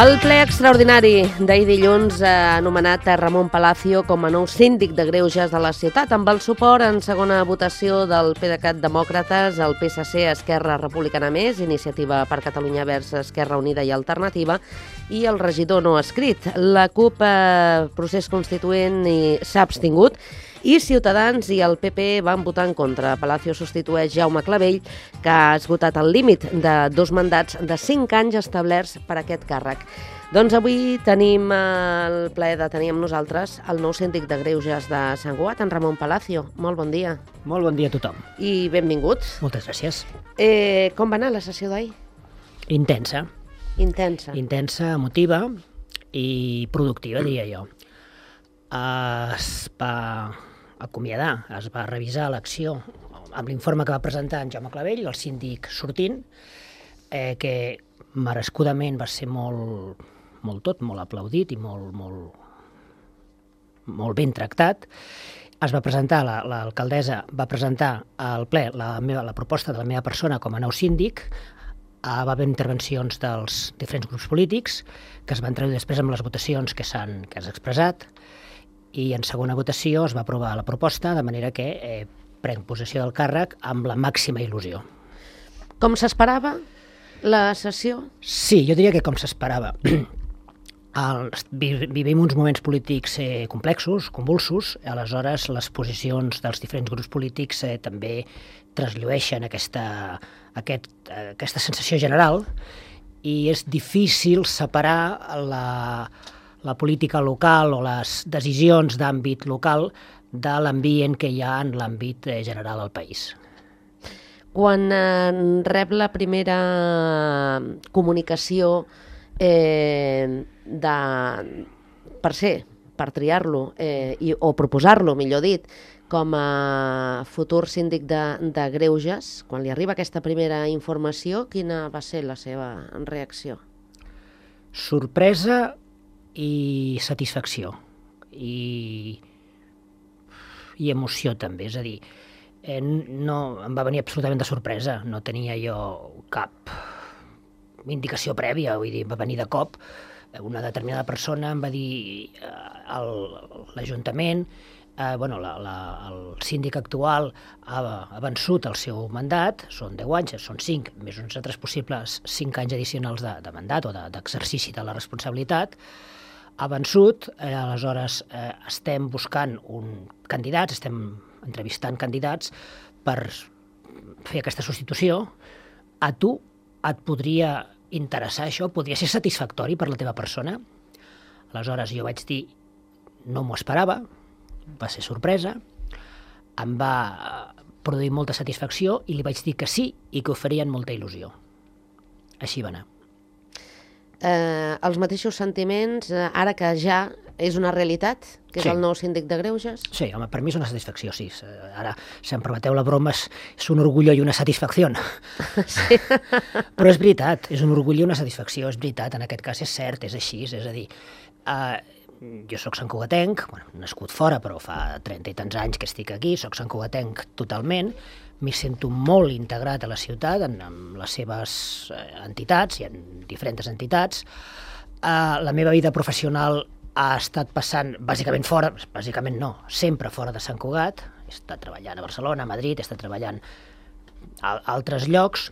El ple extraordinari d'ahir dilluns ha anomenat Ramon Palacio com a nou síndic de greuges de la ciutat, amb el suport en segona votació del PDeCAT Demòcrates, el PSC, Esquerra Republicana Més, Iniciativa per Catalunya Verds, Esquerra Unida i Alternativa, i el regidor no escrit. La CUP, procés constituent, s'ha abstingut, i Ciutadans i el PP van votar en contra. Palacio substitueix Jaume Clavell, que ha esgotat el límit de 2 mandats de 5 anys establerts per a aquest càrrec. Doncs avui tenim el plaer de tenir amb nosaltres el nou síndic de greuges de Sant Cugat, en Ramon Palacio. Molt bon dia. Molt bon dia a tothom. I benvingut. Moltes gràcies. Com va anar la sessió d'ahir? Intensa. Intensa. Intensa, emotiva i productiva, diria jo. Es va acomiadar, es va revisar l'acció amb l'informe que va presentar en Jaume Clavell, el síndic sortint, que merescudament va ser molt aplaudit i molt ben tractat. Es va presentar, l'alcaldessa va presentar al ple la proposta de la meva persona com a nou síndic. Va haver intervencions dels diferents grups polítics que es van traduir després amb les votacions que s'han expressat, i en segona votació es va aprovar la proposta, de manera que prenc possessió del càrrec amb la màxima il·lusió. Com s'esperava la sessió? Sí, jo diria que com s'esperava. Vivim uns moments polítics complexos, convulsos, aleshores les posicions dels diferents grups polítics també trasllueixen aquesta sensació general, i és difícil separar la política local o les decisions d'àmbit local de l'ambient que hi ha en l'àmbit general al país. Quan rep la primera comunicació per triar-lo o proposar-lo, millor dit, com a futur síndic de greuges, quan li arriba aquesta primera informació, quina va ser la seva reacció? Sorpresa i satisfacció i emoció també, és a dir, no em va venir absolutament de sorpresa, no tenia jo cap indicació prèvia, vull dir, va venir de cop. Una determinada persona em va dir l'Ajuntament, el síndic actual ha vençut el seu mandat, són 10 anys, són 5, més uns altres possibles 5 anys addicionals de mandat o d'exercici de la responsabilitat. Ha vençut, aleshores estem buscant candidats, estem entrevistant candidats per fer aquesta substitució. A tu et podria interessar això? Podria ser satisfactori per la teva persona? Aleshores jo vaig dir, no m'ho esperava, va ser sorpresa, em va produir molta satisfacció i li vaig dir que sí i que ho faria amb molta il·lusió. Així va anar. Els mateixos sentiments, ara que ja és una realitat, que és el nou síndic de greuges? Sí, home, per mi és una satisfacció, sí. Ara, si em permeteu la broma, és un orgullo i una satisfacció. Sí. Però és veritat, és un orgullo i una satisfacció, és veritat, en aquest cas és cert, és així, és a dir, jo soc santcugatenc, nascut fora, però fa 30 i tants anys que estic aquí, soc santcugatenc totalment, m'hi sento molt integrat a la ciutat, amb les seves entitats, hi ha diferents entitats. La meva vida professional ha estat passant bàsicament fora, bàsicament no, sempre fora de Sant Cugat. He estat treballant a Barcelona, a Madrid, he estat treballant a altres llocs.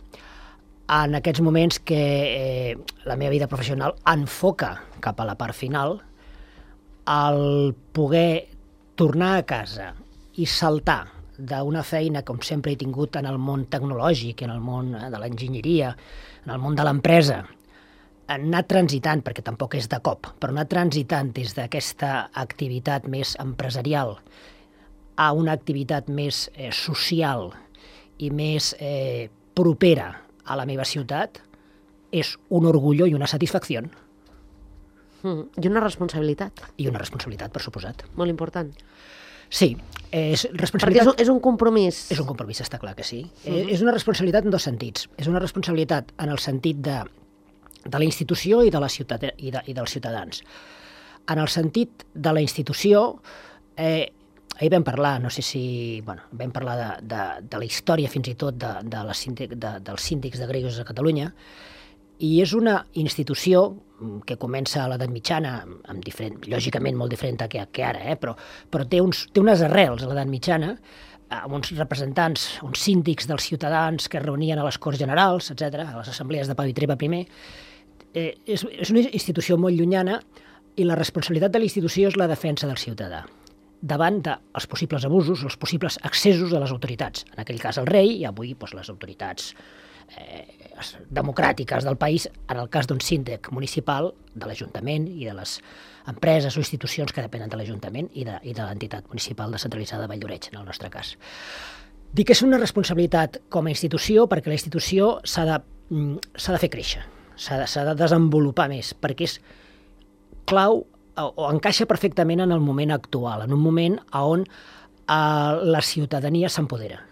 En aquests moments que la meva vida professional enfoca cap a la part final, el poder tornar a casa i saltar d'una feina com sempre he tingut en el món tecnològic, en el món de l'enginyeria, en el món de l'empresa, anar transitant, perquè tampoc és de cop, però anar transitant des d'aquesta activitat més empresarial a una activitat més social i més propera a la meva ciutat, és un orgullo i una satisfacció. I una responsabilitat. I una responsabilitat, per suposat. Molt important. Sí, és responsabilitat... Perquè és un compromís. És un compromís, està clar que sí. És una responsabilitat en dos sentits. És una responsabilitat en el sentit de la institució i de la ciutat i dels ciutadans. En el sentit de la institució, ahir vam parlar, no sé si... vam parlar de la història fins i tot dels síndics de greuges a Catalunya, I és una institució que comença a l'edat mitjana, lògicament molt diferent que ara, però té unes arrels a l'edat mitjana, amb uns representants, uns síndics dels ciutadans que es reunien a les Corts Generals, etc., a les assemblees de Pau i Treva I. És una institució molt llunyana i la responsabilitat de la institució és la defensa del ciutadà davant dels possibles abusos, els possibles excessos de les autoritats. En aquell cas el rei i avui les autoritats democràtiques del país, en el cas d'un síndic municipal, de l'Ajuntament i de les empreses o institucions que depenen de l'Ajuntament i de l'entitat municipal descentralitzada de Valldoreix, en el nostre cas. Dic que és una responsabilitat com a institució perquè la institució s'ha de fer créixer, s'ha de desenvolupar més, perquè és clau o encaixa perfectament en el moment actual, en un moment on la ciutadania s'empodera.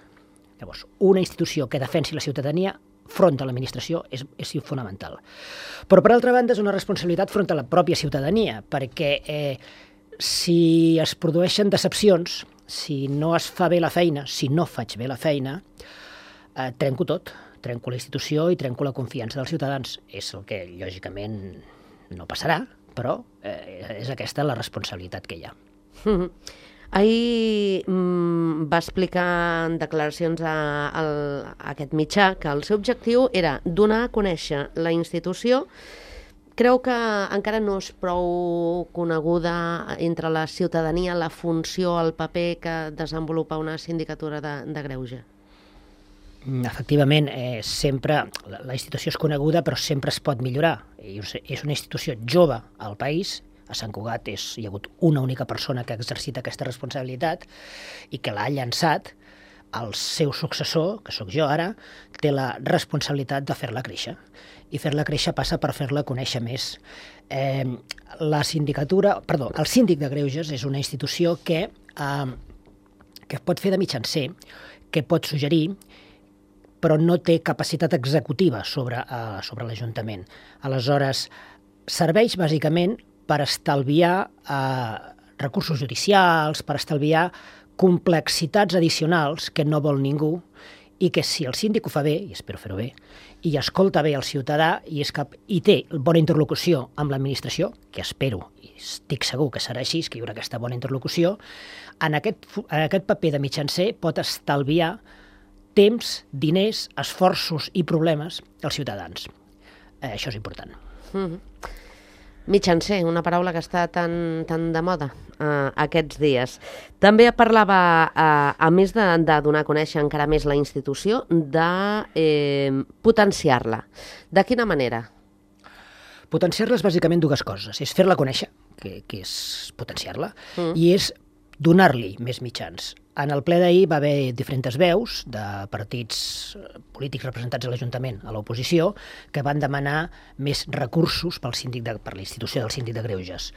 Llavors, una institució que defensi la ciutadania front a l'administració és fonamental. Però, per altra banda, és una responsabilitat front a la pròpia ciutadania, perquè si es produeixen decepcions, si no es fa bé la feina, si no faig bé la feina, trenco tot, trenco la institució i trenco la confiança dels ciutadans. És el que, lògicament, no passarà, però és aquesta la responsabilitat que hi ha. Ahir va explicar en declaracions a aquest mitjà que el seu objectiu era donar a conèixer la institució. Creu que encara no és prou coneguda entre la ciutadania la funció, el paper que desenvolupa una sindicatura de greuge? Efectivament, sempre la institució és coneguda, però sempre es pot millorar. És una institució jove al país. A Sant Cugat hi ha hagut una única persona que ha exercit aquesta responsabilitat i que l'ha llançat. El seu successor, que sóc jo ara, té la responsabilitat de fer-la créixer. I fer-la créixer passa per fer-la conèixer més. El síndic de greuges és una institució que pot fer de mitjancer, que pot suggerir, però no té capacitat executiva sobre l'Ajuntament. Aleshores, serveix bàsicament per estalviar recursos judicials, per estalviar complexitats addicionals que no vol ningú i que si el síndic ho fa bé, i espero fer-ho bé, i escolta bé el ciutadà i té bona interlocució amb l'administració, que espero i estic segur que serà així, que hi haurà aquesta bona interlocució, en aquest paper de mitjancer pot estalviar temps, diners, esforços i problemes als ciutadans. Això és important. Mitjancer, una paraula que està tan de moda aquests dies. També parlava, a més de donar a conèixer encara més la institució, de potenciar-la. De quina manera? Potenciar-la és bàsicament dues coses. És fer-la conèixer, que és potenciar-la, i és donar-li més mitjans. En el ple d'ahir va haver diferents veus de partits polítics representats a l'Ajuntament, a l'oposició, que van demanar més recursos per la institució del síndic de greuges.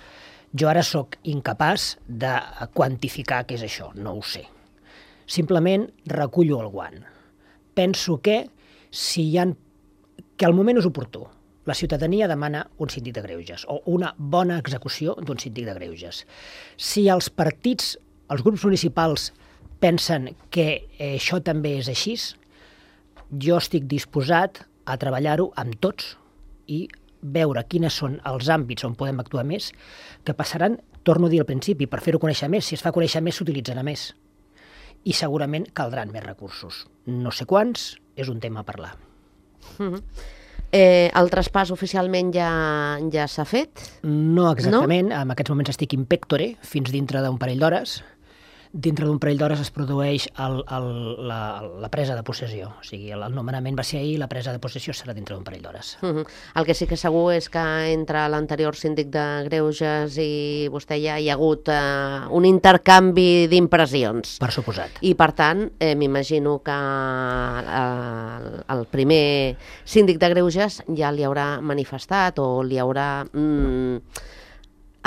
Jo ara sóc incapaç de quantificar què és això, no ho sé. Simplement recullo el guant. Penso que el moment és oportú. La ciutadania demana un síndic de greuges o una bona execució d'un síndic de greuges. Si els partits, els grups municipals pensen que això també és així, jo estic disposat a treballar-ho amb tots i veure quines són els àmbits on podem actuar més, que passaran, torno a dir al principi, per fer-ho conèixer més. Si es fa conèixer més, s'utilitzarà més. I segurament caldran més recursos. No sé quants, és un tema a parlar. El traspàs oficialment ja s'ha fet? No exactament. No? En aquests moments estic in pectore, fins dintre d'un parell d'hores. Dintre d'un parell d'hores es produeix la presa de possessió. O sigui, el nomenament va ser ahir, la presa de possessió serà dintre d'un parell d'hores. El que sí que segur és que entre l'anterior síndic de greuges i vostè ja hi ha hagut un intercanvi d'impressions. Per suposat. I per tant, m'imagino que el primer síndic de greuges ja li haurà manifestat o li haurà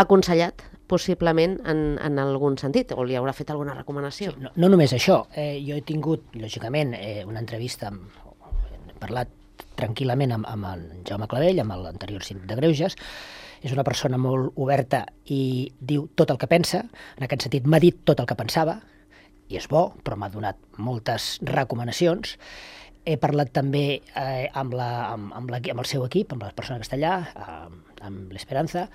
aconsellat possiblement en algun sentit, o li haurà fet alguna recomanació. Sí, no només això. Jo he tingut, lògicament, una entrevista, he parlat tranquil·lament amb en Jaume Clavell, amb l'anterior síndic de greuges. És una persona molt oberta i diu tot el que pensa. En aquest sentit, m'ha dit tot el que pensava, i és bo, però m'ha donat moltes recomanacions. He parlat també amb el seu equip, amb la persona que està allà, amb l'Esperanza,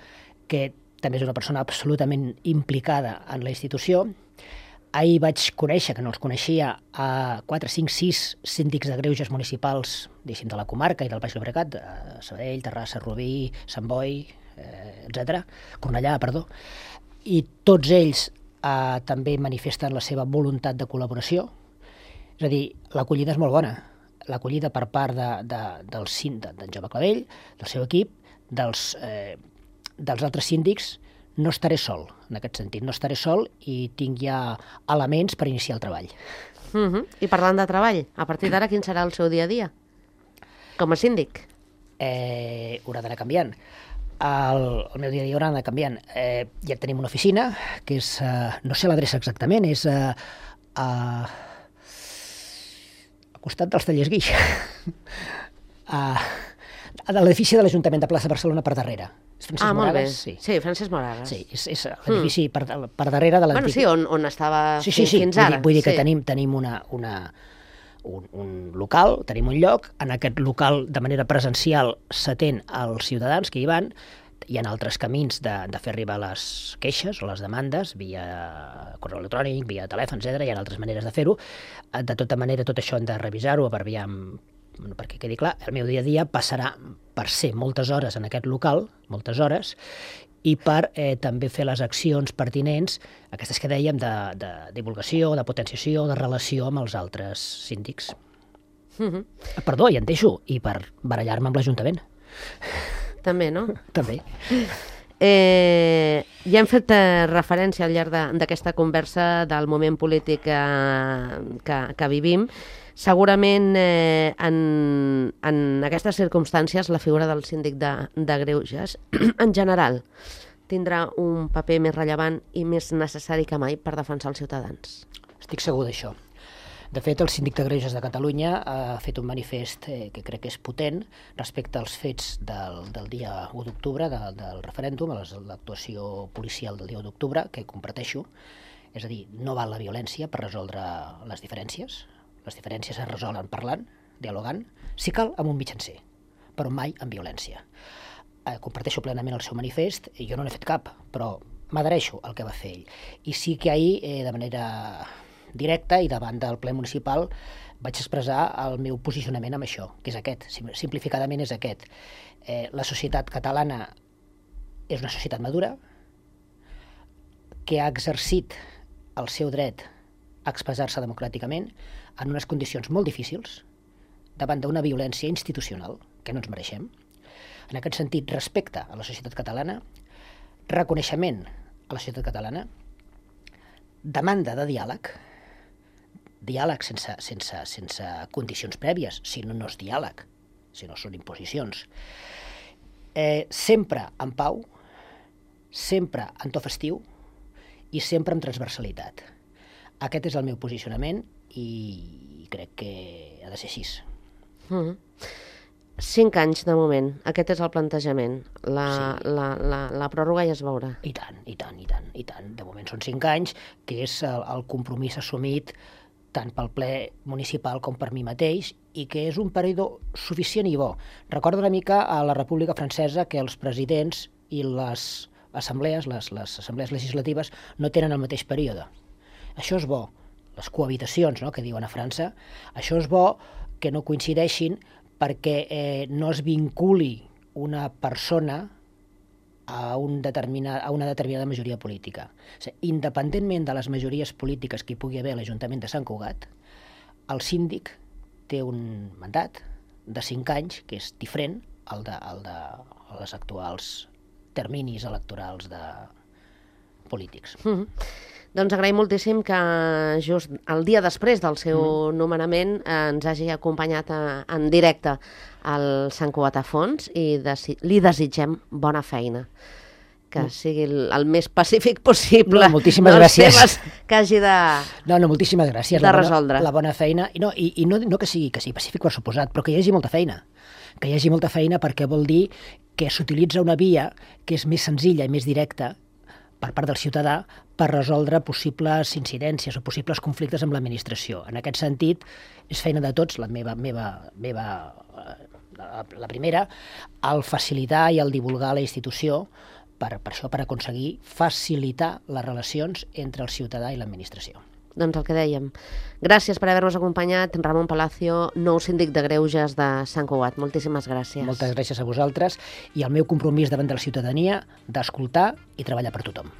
que també és una persona absolutament implicada en la institució. Ahir vaig conèixer, que no els coneixia, a 4, 5, 6 síndics de greuges municipals, diguéssim, de la comarca i del Baix Llobregat, Sabadell, Terrassa, Rubí, Sant Boi, etc. Cornellà, perdó. I tots ells també manifesten la seva voluntat de col·laboració. És a dir, l'acollida és molt bona. L'acollida per part d'en Jaume Clavell, del seu equip, dels altres síndics. No estaré sol, en aquest sentit. No estaré sol i tinc ja elements per iniciar el treball. I parlant de treball, a partir d'ara quin serà el seu dia a dia? Com a síndic? Haurà d'anar canviant. El meu dia a dia haurà d'anar canviant. Ja tenim una oficina, que és, no sé l'adreça exactament, és al costat dels Tallers Guix. A l'edifici de l'Ajuntament de Plaça Barcelona per darrere. Francesc Moragas? Sí, Francesc Moragas. Sí, és l'edifici per darrere de l'antic... Bueno, sí, on estava fins ara. Vull dir que tenim un local, tenim un lloc, en aquest local de manera presencial s'atén als ciutadans que hi van, hi ha altres camins de fer arribar les queixes o les demandes via correu electrònic, via telèfon, etc. Hi ha altres maneres de fer-ho. De tota manera, tot això hem de revisar-ho perquè quedi clar, el meu dia a dia passarà per ser moltes hores en aquest local, moltes hores, i per també fer les accions pertinents, aquestes que dèiem, de divulgació, de potenciació, de relació amb els altres síndics. Perdó, ja en deixo, i per barallar-me amb l'Ajuntament. També, no? També. Ja hem fet referència al llarg d'aquesta conversa del moment polític que vivim. Segurament en aquestes circumstàncies la figura del síndic de greuges en general tindrà un paper més rellevant i més necessari que mai per defensar els ciutadans. Estic segur d'això. De fet, el síndic de greuges de Catalunya ha fet un manifest que crec que és potent respecte als fets del dia 1 d'octubre, del referèndum, a l'actuació policial del dia 1 d'octubre, que comparteixo. És a dir, no val la violència per resoldre les diferències. Les diferències es resolen parlant, dialogant, si cal amb un mitjancer, però mai amb violència. Comparteixo plenament el seu manifest, i jo no n'he fet cap, però m'adhereixo al que va fer ell. I sí que ahir, de manera directa i davant del ple municipal, vaig expressar el meu posicionament amb això, que és aquest, simplificadament és aquest. La societat catalana és una societat madura, que ha exercit el seu dret a expressar-se democràticament en unes condicions molt difícils, davant d'una violència institucional que no ens mereixem. En aquest sentit, respecte a la societat catalana, reconeixement a la societat catalana, demanda de diàleg sense condicions prèvies, si no és diàleg, si no són imposicions, sempre en pau, sempre en to festiu i sempre amb transversalitat. Aquest és el meu posicionament i crec que ha de ser així. 5 anys de moment, aquest és el plantejament. La pròrroga ja es veurà. I tant. De moment són 5 anys, que és el compromís assumit tant pel ple municipal com per mi mateix, i que és un període suficient i bo. Recordo una mica a la República Francesa que els presidents i les assemblees, les assemblees legislatives, no tenen el mateix període. Això és bo. Les cohabitacions, no?, que diuen a França, això és bo que no coincideixin perquè no es vinculi una persona a una determinada majoria política. O sigui, independentment de les majories polítiques que hi pugui haver a l'Ajuntament de Sant Cugat, el síndic té un mandat de 5 anys que és diferent al de les actuals terminis electorals polítics. Doncs agraïm moltíssim que just el dia després del seu nomenament ens hagi acompanyat en directe al Sant Cugat a Fons i li desitgem bona feina, que sigui el més pacífic possible. No, moltíssimes gràcies. Que hagi de moltíssimes gràcies. De resoldre. La bona feina. I no que sigui pacífic per suposat, però que hi hagi molta feina. Que hi hagi molta feina perquè vol dir que s'utilitza una via que és més senzilla i més directa per part del ciutadà per resoldre possibles incidències o possibles conflictes amb l'administració. En aquest sentit, és feina de tots, la primera, el facilitar i el divulgar la institució per això, per aconseguir facilitar les relacions entre el ciutadà i l'administració. Doncs el que dèiem. Gràcies per haver-nos acompanyat, Ramon Palacio, nou síndic de Greuges de Sant Cugat. Moltíssimes gràcies. Moltes gràcies a vosaltres i el meu compromís davant de la ciutadania d'escoltar i treballar per tothom.